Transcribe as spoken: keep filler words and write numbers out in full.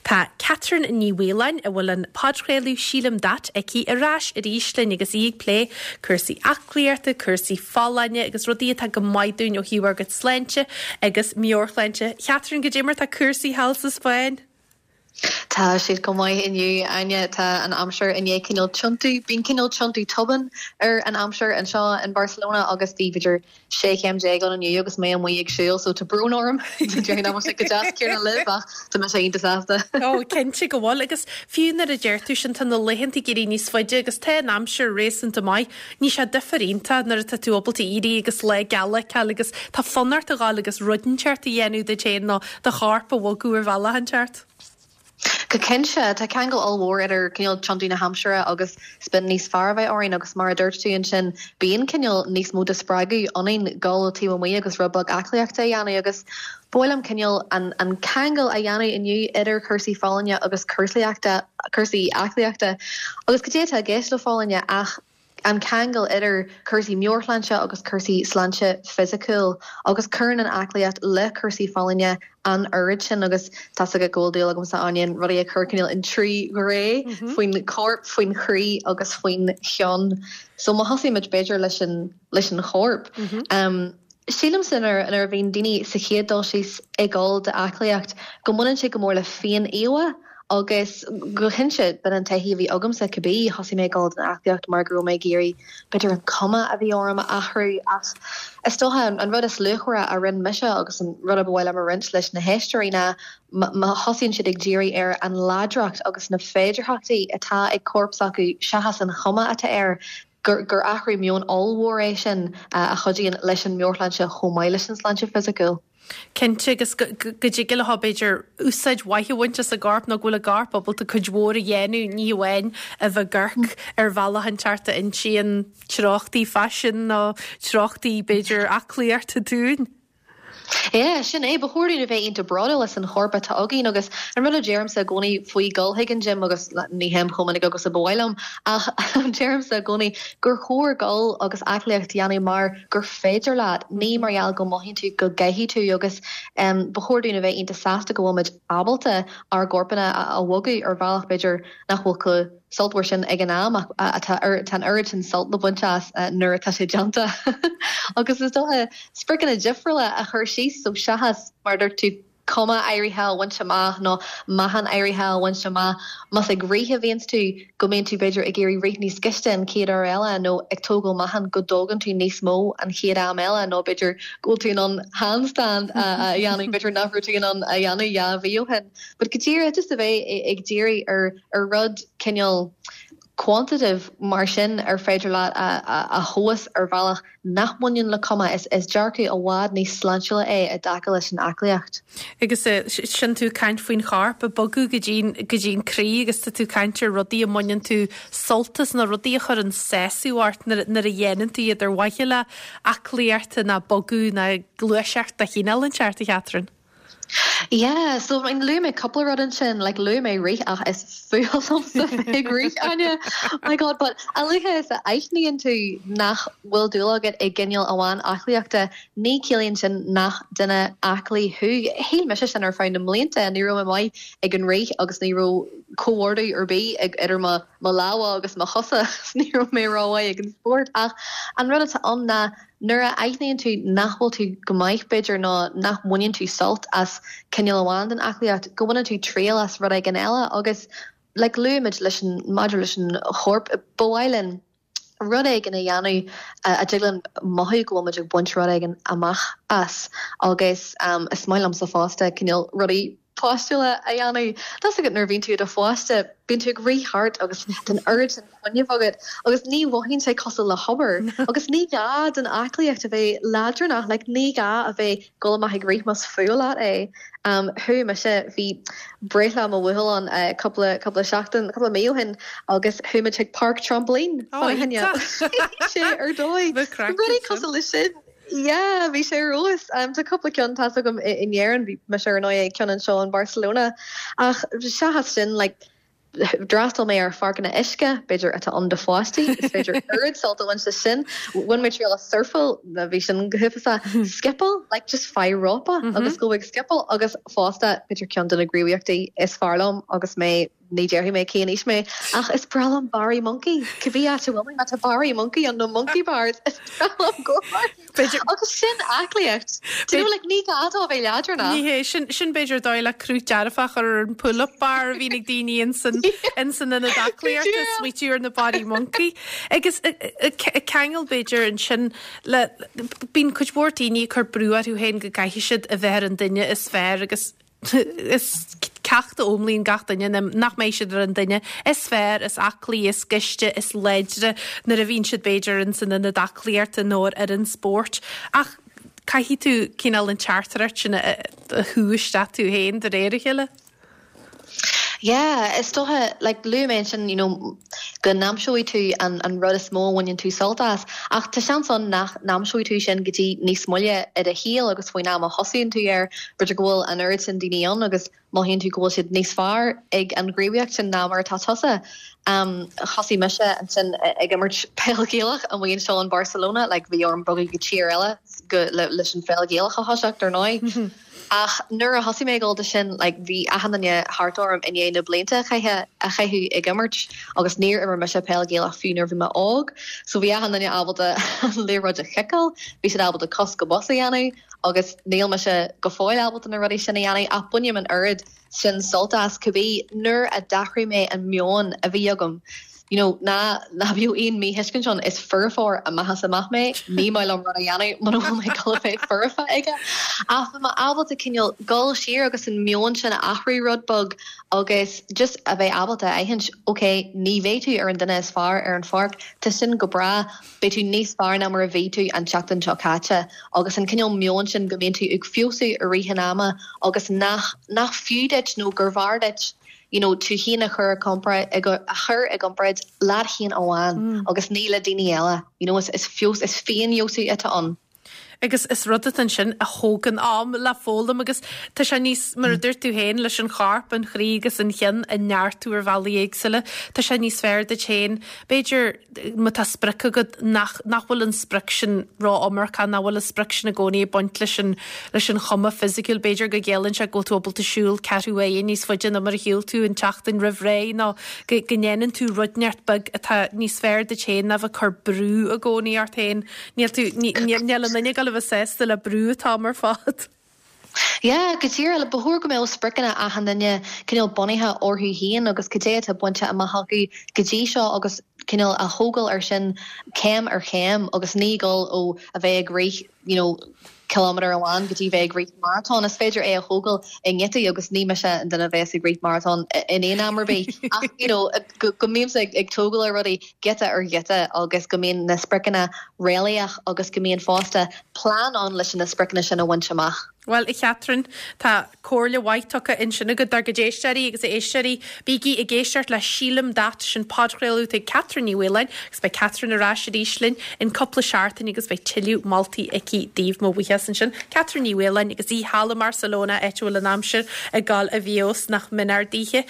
Tá Catherine Ní Mhaoláin a bhfuil an podchraoladh Sílim That aici ar ais arís linn agus í ag plé cúrsaí aclaíochta, cúrsaí folláine agus rudaí atá go maith dúinn ó thaobh ár gcuid sláinte agus meabhairshláinte. Catherine goidé mar tá cúrsaí thall sa Spáinn. Tá siad go maith inniu Áine tá an aimsir i ndiaidh cineál tiontú, bíonn cineál tiontú tobann ar an aimsir anseo in Barcelona agus bhí b'fhéidir sé chéim déag ann inniu agus mé amuigh ag siúl so tá brón orm sé go deas céanna libh ach tá mé iontach sásta. Ó cinnte go bhfuil agus fiú nuair a deir tú sin tá na laethanta ag éirí níos faide agus tá an aimsir réasúnta maith, níl sé difear iontach nuair atá tú ábalta éirí agus lá geal a fheiceáil agus tá fonn ort a ghabháil agus rud inteacht a dhéanamh duit féin nó do chorp a bhogadh ar bhealach inteacht. Go cinnte tá ceangal ollmhór idir cineál tiontú na haimsire agus spion níos fearr a bheith orainn agus mar a dúirt tú ansin bíonn cineál níos mó de spreagadh ionainn dul taobh amuigh agus rud beag aclaíochta a dhéanamh agus ba mhaith liom cineál an, an ceangal a dhéanamh inniu idir cúrsaí folláine agus cúrsaíochta cúrsaí aclaíochta agus goidé atá i gceist le folláine ach an ceangal idir cúrsaí meabhairshláinte agus cúrsaí sláinte fisiciúil agus cuireann an aclaíocht le cúrsaí folláine an oiread sin agus tá go bhfuil dúil agamsa ann rudaí a chur cineál in trí ghné mm-hmm. faoin corp faoin chroí agus faoin cheann so má thosaímid b'fhéidir leis an leis an chorp mm -hmm. um, Sílim sin ar ar bhíonn daoine sa chéad dul síos ag dul d'aclaíocht go mbaineann sé go mór le féin-íomhá agus go cinnte b'in an taithí a bhí agamsa cibé thosaigh mé ag dul don aclaíocht mar go raibh mé ag iarraidh b'fhéidir an cuma a bhí orm a athrú ach is dócha an rud is luachmhaire a rinne mise agus an rud a ba mhaith liom a roinnt leis na héisteoirí ná má thosaíonn siad ag díriú ar an láidreacht agus na féidearthachtaí atá ag corp s'acu seachas an chuma atá air gur gur athrú meoin ollmhór é sin a chuidíonn leis an meabhairshláinte chomh maith leis an sláinte fisiciúil. Cinnte agus go dtig le b'fhéidir úsáid mhaith a bhaint as a gcorp nó go bhfuil a gcorp ábalta cuid mhór a dhéanamh ní amháin a bheith ag amharc ar bhealach inteacht a insíonn treochtaí faisin nó treochtaí b'fhéidir aclaíochta dúinn. Yeah, sin é ba chóir a bheith iontach bródúil as an chorp atá againn agus an rud a deirimse i gcónaí faoi dul chuig an gym agus ní théim chomh minic agus a ba mhaith liom ach deirimse i gcónaí gur chóir dul agus aclaíocht a dhéanamh mar gur féidir leat ní mar gheall go mothaíonn tú go gcaithfidh tú agus um, ba chóir dúinn a bheith iontach sásta go bhfuil muid ábalta ár gcorpanna a bhogadh ar bhealach b'fhéidir nach bhfuil chomh sultmhar sin ag an am atá an oiread sin sult le baint as nuair atá sé déanta agus is dócha spriocanna difriúla a chur síos so seachas mar dúirt tú cuma áirithe a bhaint amach nó meáchan áirithe a bhaint amach más ag rith a bhíonns tú go mbíonn tú b'fhéidir ag iarraidh rith níos gaiste an chéad uair eile nó ag tógáil meáchan go dtógann tú níos mó an chéad am eile nó b'fhéidir go bhfuil tú in ann handstand a dhéanamh b'fhéidir nach raibh tú in ann a dhéanamh dhá mhí ó shin. But go díreach just a bheith ag díriú ar ar rud cineál quantitative mar sin ar féidir leat a, a, a thomhas ar bhealach nach mbaineann le cuma is is dearcadh i bhfad níos sláintiúla é i dtaca leis an aclaíocht. Agus sin tú ag caint faoin chorp ag bogadh go dtí go dtí an croí agus tá tú ag caint ar rudaí a mbaineann tú sult as na rudaí a chuireann sásamh ort nuair a dhéanann tú iad ar mhaithe le aclaíocht ná bogadh ná gluaiseacht de chineál inteacht a Chatherine. Yeah, so I mean, luaigh mé cúpla rud ansin like luaigh mé rith ach is fuath liomsa ag rith Áine my God but a luaithe is a aithníonn tú nach bhfuil dúil agat i gcineál amháin aclaíochta ní chiallaíonn sin nach duine aclaí thú Shíl mise sin ar feadh na mblianta ní raibh mé maith ag an rith agus ní raibh comhordú ar bith ag idir mo mo lámha agus mo chosa ní raibh mé rómhaith ag an spórt ach an rud atá ann ná nuair a aithníonn tú nach bhfuil tú go maith b'fhéidir ná nach mbaineann tú sult as cineál amháin den aclaíocht go mbaineann tú triail as rud éigin eile agus like luaimid leis an maidir leis an chorp ba mhaith linn rud éigin a dhéanamh a dtig linn mothú go bhfuil muid ag baint rud éigin amach as agus um, is maith liomsa fosta cineál rudaí páistiúla a dhéanamh. Tá agat nuair bhíonn tú i do pháiste bíonn tú ag rith thart agus an oiread sin fuinnimh agat agus ní mhothaíonn sé cosúil le hobair agus ní gá don aclaíocht a bheith leadránach like ní gá a bheith go maith ag rith más fuath leat é. Um, Chuaigh mise bhí breithlá mo bhuachaill ann uh, cúpla cúpla seachtain cúpla mí ó shin agus chuaigh muid chuig páirc trampoline sé ar dóigh rudaí cosúil leis sin. Yeah, bhí sé rós um, tá cúpla ceann tá agam in Éirinn bhí me ar ndóigh ceann anseo in Barcelona ach seachas sin like, D'fhreastail mé ar pháirceanna uisce, b'fhéidir atá ann do pháistí, is féidir oiread sult a bhaint as sin. Bhain mé triail as surfáil na bhí sin go huafásach scipeáil, like just faigh rópa agus go ag scipeáil agus fosta b'fhéidir ceann de na gníomhaíochtaí is fearr liom agus mé ní déarfaidh mé cén aois mé ach is breá liom barraí moncaí cibé áit a bhfuil mé má tá barraí moncaí an nó monkey bars is breá liom go agus sin aclaíocht Do you know, like ní gá dó bheith leadránach Ní hé sin sin b'fhéidir dóigh le cruth dearfach ar an pull-up bar a bhíonn ag daoine insan insan ionad aclaíochta smaoitiú ar na barraí moncaí. Agus ceangal b'fhéidir ansin le bíonn cuid mhór daoine ag cur brú orthu féin go gcaithfidh siad a bheith ar an duine is fearr agus is ceacht a fhoghlaimíonn gach duine nach mbeidh siad ar an duine is fearr is aclaí is gaiste is láidre nuair a bhíonn siad b'fhéidir in san ionad aclaíochta nó ar an spórt ach caithfidh tú cineál an teachtaireacht sin a shú isteach tú féin de réir a chéile. Yeah, is dócha like luaigh mé sin you know, go n-aimseoidh tú an, an rud is mó a bhaineann tú sult as ach tá seans ann nach n-aimseoidh tú sin go dtí níos moille i do shaol agus faoin am a thosaíonn tú air b'fhéidir go bhfuil an oiread sin daoine ann agus mothaíonn tú go bhfuil siad níos fearr ag an ghníomhaíocht sin ná mar atá tusa. Um, thosaigh mise ansin ag imirt peil Ghaelach amuigh anseo in Barcelona, like bhí orm bogadh go tír eile go le, leis an pheil Ghaelach a thoiseacht ar ndóigh. Ach nuair a thosaigh mé ag dul do sin like, bhí achan duine thart orm i ndiaidh na blianta chaithe a chaitheamh ag imirt agus níor imir mise peil Ghaelach fiú nuair bhí mé óg, so bhí achan duine ábalta an liathróid a chiceáil, bhí siad ábalta cos go bos a dhéanamh agus níl mise go fóill ábalta na rudaí sin a dhéanamh ach bainim an oiread sin sult as cibé nuair a d'athraigh mé an meon a bhí agam. You know, ná ná bíodh aon míthuiscint ann is foirfeoir amach is amach mé ní maith liom rud a dhéanamh muna bhfuil mé ag bheith foirfe aige. Ach bhí mé ábalta cineál dul siar agus an meon sin a athrú rud beag agus just a bheith ábalta aithint ok ní bheidh tú ar an duine is fearr ar an pháirc tá sin go breá beidh tú níos fearr ná mar a bhí tú an tseachtain seo caite agus an cineál meon sin go mbíonn tú ag feabhsú i rith an ama agus nach nach fiú duit nó gur bhfearr duit you know, tú féin a chur a chur i gcomparáid leat féin amháin mm. agus ní le daoine eile you know, is, is feabhas is féinfheabhsú atá ann. Agus is rud é sin a thógann am le foghlaim agus tá sé níos mar a dúirt tú féin leis an chorp an chroí agus an cheann a neartú ar bhealaí éagsúla, Tá sé níos fearr duit féin B'fhéidir má tá sprioc agat nach nach bhfuil an sprioc sin ró-iomarcach nach bhfuil an sprioc sin i gcónaí ag baint leis an leis an chuma fisiciúil b'fhéidir go gciallaíonn sé go bhfuil tú ábalta siúl ceathrú uaire níos faide ná mar a shiúil tú an tseachtain roimh ré nó go go ndéanann tú rud inteacht beag atá níos fearr duit féin ná bheith cur brú i gcónaí ort féin. Níl tú níl an duine go bheith sásta le brú atá mar fad. Ja, go díreach ba chóir go mbeadh spriocanna achan duine cineál bunaithe orthu féin agus cad é atá bainte amach acu go dtí seo agus cineál a thógáil ar sin céim ar chéim agus ní dul ó a bheith ag rith you know, kilometer amháin go dtí bheith ag rith marathon is féidir é a thógáil i ngiotaí agus ní mise an duine a bheas ag rith marathon in aon am ar bith ach you know, go, go mbímse ag, ag tógáil ar rudaí giota ar ghiota agus go mbíonn na spriocanna réalaíoch agus go mbíonn fosta plean ann leis na spriocanna sin a bhaint amach. Well a Chatherine tá comhairle mhaith tugtha ansin agat dár gcuid éisteoirí agus éisteoirí bígí ag éisteacht le Sílim Dat sin podchraoladh ag Catherine Ní Mhaoláin agus beidh Catherine ar ais arís linn in cúpla seachtain agus beidh tuilleadh moltaí aici daoibh mo bhuíochas ansin. Catherine Ní Mhaoláin agus í thall i mBarcelona áit a bhfuil an aimsir ag dul i bhfeabhas nach méanar daoithe.